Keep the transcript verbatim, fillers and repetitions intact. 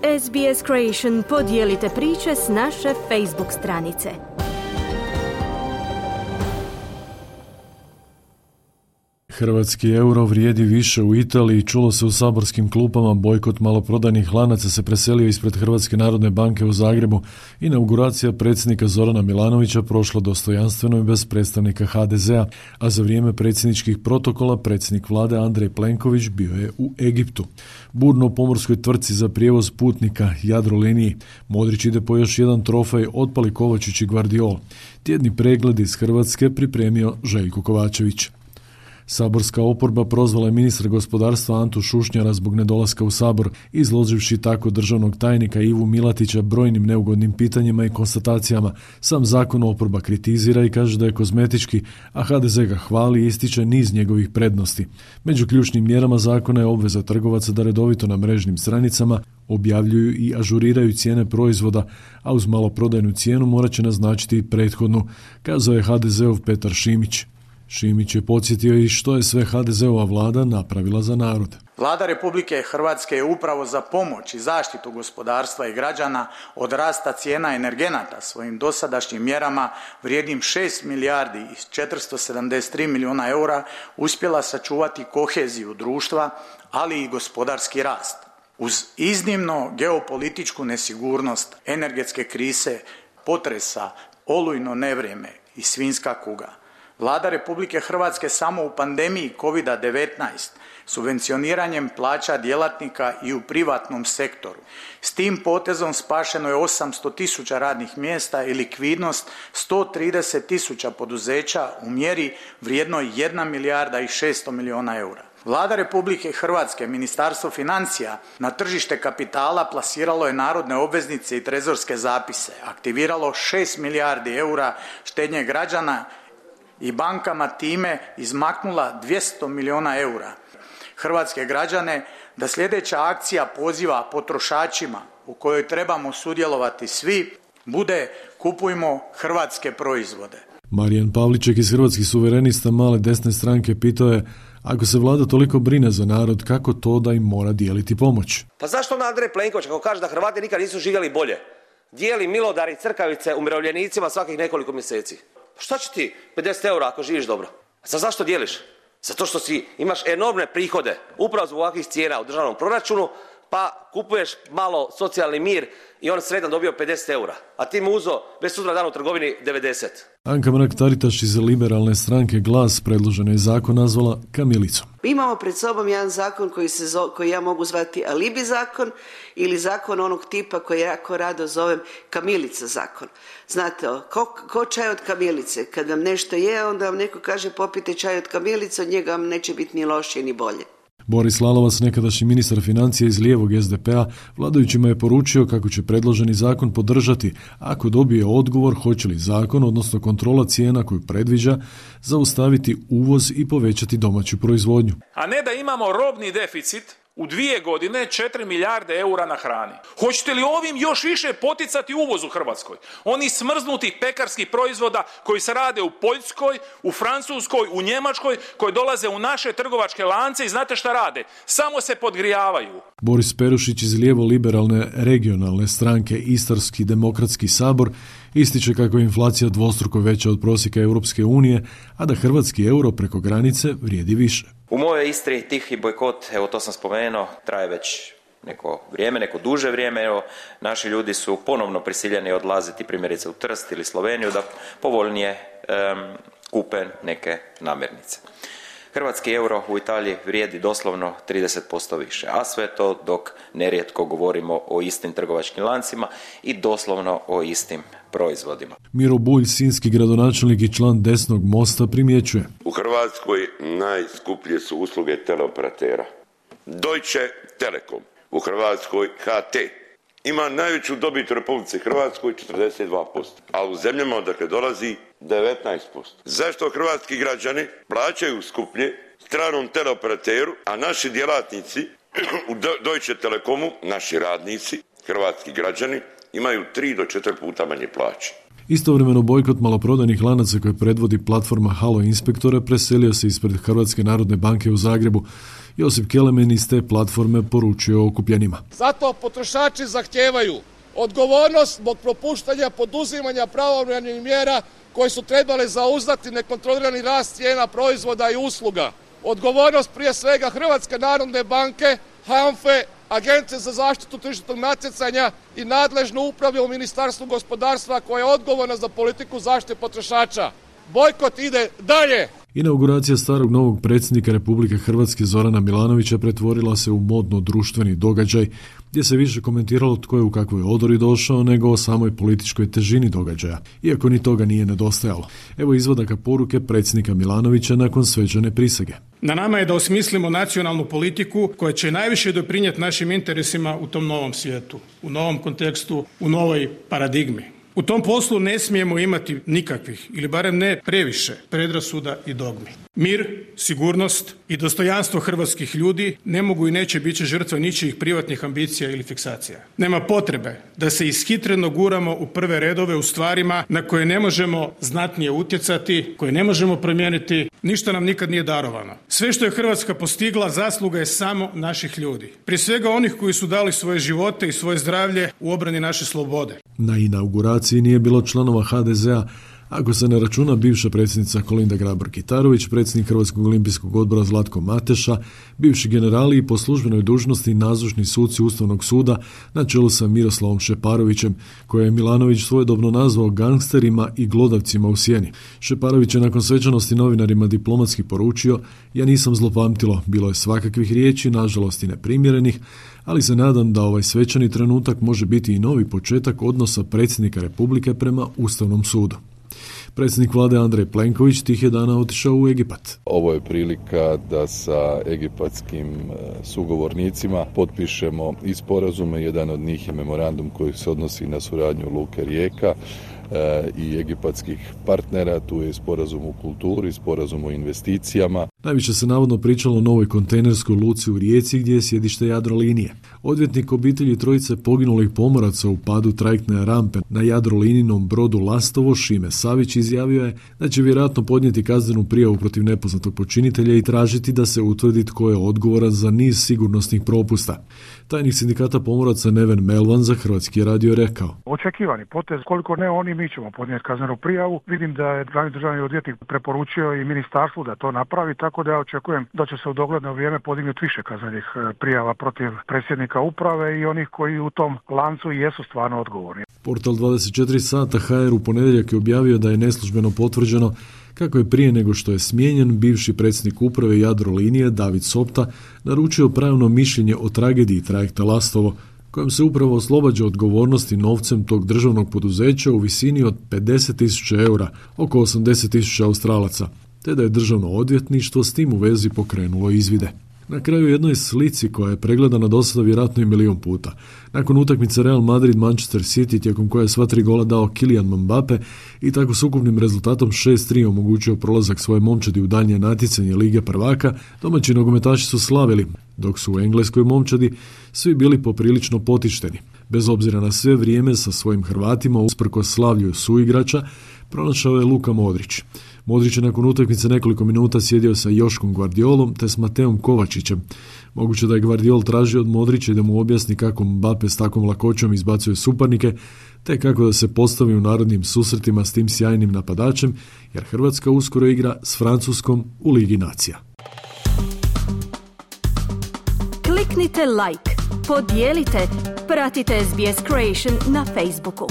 S B S Creation podijelite priče s naše Facebook stranice. Hrvatski euro vrijedi više u Italiji, čulo se u saborskim klupama, bojkot maloprodajnih lanaca se preselio ispred Hrvatske narodne banke u Zagrebu, inauguracija predsjednika Zorana Milanovića prošla dostojanstveno i bez predstavnika H D Z-a, a za vrijeme predsjedničkih protokola predsjednik vlade Andrej Plenković bio je u Egiptu. Burno u pomorskoj tvrtci za prijevoz putnika Jadroliniji. Modrić ide po još jedan trofej, otpali Kovačić i Gvardiol. Tjedni pregled iz Hrvatske pripremio Željko Kovačević. Saborska oporba prozvala je ministra gospodarstva Antu Šušnjara zbog nedolaska u Sabor, izloživši tako državnog tajnika Ivu Milatića brojnim neugodnim pitanjima i konstatacijama. Sam zakon oporba kritizira i kaže da je kozmetički, a H D Z ga hvali i ističe niz njegovih prednosti. Među ključnim mjerama zakona je obveza trgovaca da redovito na mrežnim stranicama objavljuju i ažuriraju cijene proizvoda, a uz maloprodajnu cijenu morat će naznačiti i prethodnu, kazao je H D Z-ov Petar Šimić. Šimić je podsjetio i što je sve H D Z-ova vlada napravila za narod. Vlada Republike Hrvatske je upravo za pomoć i zaštitu gospodarstva i građana od rasta cijena energenata svojim dosadašnjim mjerama vrijednim šest milijardi i četiristo sedamdeset tri milijuna eura uspjela sačuvati koheziju društva, ali i gospodarski rast. Uz iznimno geopolitičku nesigurnost, energetske krize, potresa, olujno nevrijeme i svinjska kuga, Vlada Republike Hrvatske samo u pandemiji kovid devetnaest subvencioniranjem plaća djelatnika i u privatnom sektoru. S tim potezom spašeno je osamsto tisuća radnih mjesta i likvidnost sto trideset tisuća poduzeća u mjeri vrijednoj jedna milijarda i šesto milijuna eura. Vlada Republike Hrvatske, Ministarstvo financija na tržište kapitala plasiralo je narodne obveznice i trezorske zapise, aktiviralo šest milijardi eura štednje građana i bankama time izmaknula dvjesto milijuna eura. Hrvatske građane da sljedeća akcija poziva potrošačima u kojoj trebamo sudjelovati svi bude kupujmo hrvatske proizvode. Marijan Pavliček iz Hrvatskih suverenista male desne stranke pitao je: ako se vlada toliko brine za narod, kako to da im mora dijeliti pomoć? Pa zašto onda Andrej Plenković, kako kaže da Hrvati nikad nisu živjeli bolje, dijeli milodari i crkavice umirovljenicima svakih nekoliko mjeseci? Šta će ti pedeset eura ako živiš dobro? Za zašto dijeliš? Zato što si imaš enormne prihode upravo zbog ovakvih cijena u državnom proračunu, pa kupuješ malo socijalni mir i on sredan dobio pedeset eura, a ti mu uzo već sutra dan u trgovini devedeset. Anka Mrak-Taritaš iz liberalne stranke Glas predloženi zakon nazvala kamilicom. Mi imamo pred sobom jedan zakon koji, se zo, koji ja mogu zvati alibi zakon ili zakon onog tipa koji ja jako rado zovem kamilica zakon. Znate, ko, ko čaj od kamilice? Kad vam nešto je, onda vam neko kaže popite čaj od kamilice, od njega vam neće biti ni lošije ni bolje. Boris Lalovac, nekadašnji ministar financija iz lijevog S D P-a, vladajućima je poručio kako će predloženi zakon podržati ako dobije odgovor hoće li zakon, odnosno kontrola cijena koju predviđa, zaustaviti uvoz i povećati domaću proizvodnju. A ne da imamo robni deficit u dvije godine četiri milijarde eura na hrani. Hoćete li ovim još više poticati uvoz u Hrvatskoj? Oni smrznutih pekarskih proizvoda koji se rade u Poljskoj, u Francuskoj, u Njemačkoj, koji dolaze u naše trgovačke lance i znate šta rade? Samo se podgrijavaju. Boris Perušić iz lijevo-liberalne regionalne stranke Istarski demokratski sabor ističe kako je inflacija dvostruko veća od prosjeka Europske unije, a da hrvatski euro preko granice vrijedi više. U mojoj Istri tihi bojkot, evo to sam spomenuo, traje već neko vrijeme, neko duže vrijeme. Evo, naši ljudi su ponovno prisiljeni odlaziti primjerice u Trst ili Sloveniju da povoljnije um, kupe neke namirnice. Hrvatski euro u Italiji vrijedi doslovno trideset posto više, a sve to dok nerijetko govorimo o istim trgovačkim lancima i doslovno o istim proizvodima. Miro Bulj, sinjski gradonačelnik i član desnog mosta, primjećuje: u Hrvatskoj najskuplje su usluge teleoperatera. Deutsche Telekom, u Hrvatskoj H T. Ima najveću dobit u Republici Hrvatskoj četrdeset dva posto, a u zemljama odakle dolazi devetnaest posto. Zašto hrvatski građani plaćaju skuplje stranom teleoperateru, a naši djelatnici u Deutsche Telekomu, naši radnici, hrvatski građani, imaju tri do četiri puta manje plaće? Istovremeno bojkot maloprodajnih lanaca koje predvodi platforma Halo Inspektore preselio se ispred Hrvatske narodne banke u Zagrebu. Josip Kelemen iz te platforme poručio okupljenima. Zato potrošači zahtijevaju odgovornost zbog propuštanja poduzimanja pravovremenih mjera koje su trebale zauzdati nekontrolirani rast cijena proizvoda i usluga. Odgovornost prije svega Hrvatske narodne banke, HANFA-e, Agencije za zaštitu tržišnog natjecanja i nadležnu upravu u Ministarstvu gospodarstva koja je odgovorna za politiku zaštite potrošača. Bojkot ide dalje. Inauguracija starog novog predsjednika Republike Hrvatske Zorana Milanovića pretvorila se u modno društveni događaj gdje se više komentiralo tko je u kakvoj odori došao nego o samoj političkoj težini događaja, iako ni toga nije nedostajalo. Evo izvadaka poruke predsjednika Milanovića nakon svečane prisege. Na nama je da osmislimo nacionalnu politiku koja će najviše doprinijeti našim interesima u tom novom svijetu, u novom kontekstu, u novoj paradigmi. U tom poslu ne smijemo imati nikakvih, ili barem ne previše, predrasuda i dogmi. Mir, sigurnost i dostojanstvo hrvatskih ljudi ne mogu i neće biti žrtve ničijih privatnih ambicija ili fiksacija. Nema potrebe da se ishitreno guramo u prve redove u stvarima na koje ne možemo znatnije utjecati, koje ne možemo promijeniti, ništa nam nikad nije darovano. Sve što je Hrvatska postigla zasluga je samo naših ljudi. Prije svega onih koji su dali svoje živote i svoje zdravlje u obrani naše slobode. Na inauguraciji nije bilo članova ha de zea, ako se ne računa bivša predsjednica Kolinda Grabar-Kitarović, predsjednik Hrvatskog olimpijskog odbora Zlatko Mateša, bivši generali i po službenoj dužnosti nazočni suci Ustavnog suda na čelu sa Miroslavom Šeparovićem, koje je Milanović svojedobno nazvao gangsterima i glodavcima u sjeni. Šeparović je nakon svečanosti novinarima diplomatski poručio: ja nisam zlopamtilo, bilo je svakakvih riječi, nažalost i neprimjerenih, ali se nadam da ovaj svečani trenutak može biti i novi početak odnosa predsjednika Republike prema Ustavnom sudu. Predsjednik vlade Andrej Plenković tih je dana otišao u Egipat. Ovo je prilika da sa egipatskim sugovornicima potpišemo i sporazume. Jedan od njih je memorandum koji se odnosi na suradnju Luke Rijeka i egipatskih partnera. Tu je sporazum u kulturi, sporazum o investicijama. Najviše se navodno pričalo o novoj kontejnerskoj luci u Rijeci gdje je sjedište Jadrolinije. Odvjetnik obitelji trojice poginulih pomoraca u padu trajektne rampe na Jadrolininom brodu Lastovo, Šime Savić, izjavio je da će vjerojatno podnijeti kaznenu prijavu protiv nepoznatog počinitelja i tražiti da se utvrdi tko je odgovoran za niz sigurnosnih propusta. Tajnik sindikata pomoraca Neven Melvan za Hrvatski radio rekao: očekivani potez, koliko ne oni, mi ćemo podnijeti kaznenu prijavu. Vidim da je glavni državni odvjetnik preporučio i ministarstvu da to napravi, tako da ja očekujem da će se u dogledno vrijeme podignuti više kaznenih prijava protiv predsjednika uprave i onih koji u tom lancu jesu stvarno odgovorni. Portal dvadeset četiri sata ha er u ponedjeljak je objavio da je neslužbeno potvrđeno kako je prije nego što je smijenjen bivši predsjednik uprave Jadrolinije David Sopta naručio pravno mišljenje o tragediji trajekta Lastovo, kojom se upravo oslobađa odgovornosti novcem tog državnog poduzeća u visini od pedeset tisuća eura, oko osamdeset tisuća australaca, te da je državno odvjetništvo s tim u vezi pokrenulo izvide. Na kraju jednoj slici koja je pregledana do sada vjerojatno i milijun puta. Nakon utakmice Real Madrid-Manchester City, tijekom koje je sva tri gola dao Kylian Mbappe i tako s ukupnim rezultatom šest tri omogućio prolazak svoje momčadi u daljnje natjecanje Lige prvaka, domaći nogometaši su slavili, dok su u engleskoj momčadi svi bili poprilično potišteni. Bez obzira na sve vrijeme sa svojim Hrvatima, usprkos slavlju suigrača, pronašao je Luka Modrić. Modrić je nakon utakmice nekoliko minuta sjedio sa Joškom Guardiolom te s Mateom Kovačićem. Moguće da je Guardiol tražio od Modrića da mu objasni kako Mbappe s takvom lakoćom izbacuje suparnike, te kako da se postavi u narodnim susretima s tim sjajnim napadačem, jer Hrvatska uskoro igra s Francuskom u Ligi nacija. Kliknite like, podijelite, pratite es be es Creation na Facebooku.